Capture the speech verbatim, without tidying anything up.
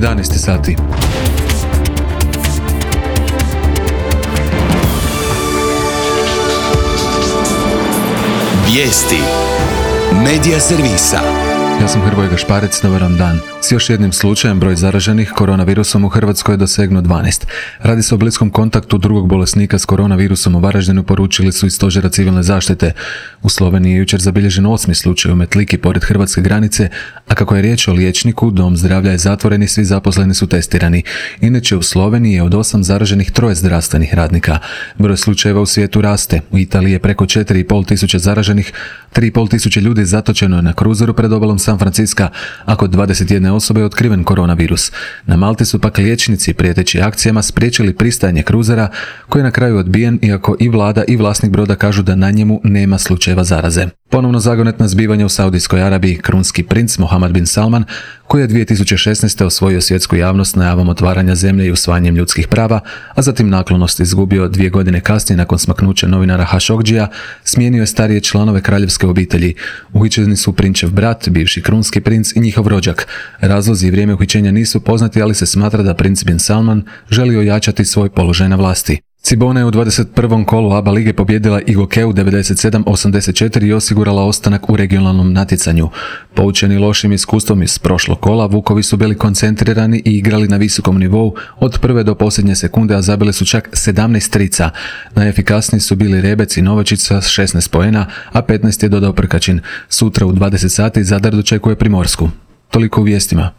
jedanaest sati. Vijesti Medija servisa. Ja sam Hrvoje Gašparec, dobar vam dan. S još jednim slučajem broj zaraženih koronavirusom u Hrvatskoj je dosegnuo dvanaest. Radi se o bliskom kontaktu drugog bolesnika s koronavirusom u Varaždinu, poručili su iz Stožera civilne zaštite. U Sloveniji je jučer zabilježen osmi slučaj u Metliki pored hrvatske granice, a kako je riječ o liječniku, dom zdravlja je zatvoren i svi zaposleni su testirani. Inače u Sloveniji je od osam zaraženih troje zdravstvenih radnika. Broj slučajeva u svijetu raste. U Italiji je preko četiri i pol tisuće zaraženih, tri i pol tisuće ljudi zatočeno je na kruzeru pred obalom San Francisca, a kod dvadeset jedne osobe je otkriven koronavirus. Na Malti su pak liječnici prijeteći akcijama spriječili pristajanje kruzera, koji je na kraju odbijen, iako i vlada i vlasnik broda kažu da na njemu nema slučajeva zaraze. Ponovno zagonetna zbivanja u Saudijskoj Arabiji. Krunski princ Mohammed bin Salman, koji je dvije tisuće šesnaeste. osvojio svjetsku javnost najavom otvaranja zemlje i usvajanjem ljudskih prava, a zatim naklonost izgubio dvije godine kasnije nakon smaknuća novinara Hašogdžija, smijenio je starije članove kraljevske obitelji. Uhićeni su prinčev brat, bivši krunski princ i njihov rođak. Razlozi i vrijeme uhićenja nisu poznati, ali se smatra da princ bin Salman želi ojačati svoj položaj na vlasti. Cibona je u dvadeset prvom kolu A B A lige pobjedila Igokeu devedeset sedam osamdeset četiri i osigurala ostanak u regionalnom natjecanju. Poučeni lošim iskustvom iz prošlog kola, Vukovi su bili koncentrirani i igrali na visokom nivou od prve do posljednje sekunde, a zabili su čak sedamnaest trica. Najefikasniji su bili Rebec i Novačić sa šesnaest poena, a petnaest je dodao Prkačin. Sutra u dvadeset sati Zadar dočekuje Primorsku. Toliko u vijestima.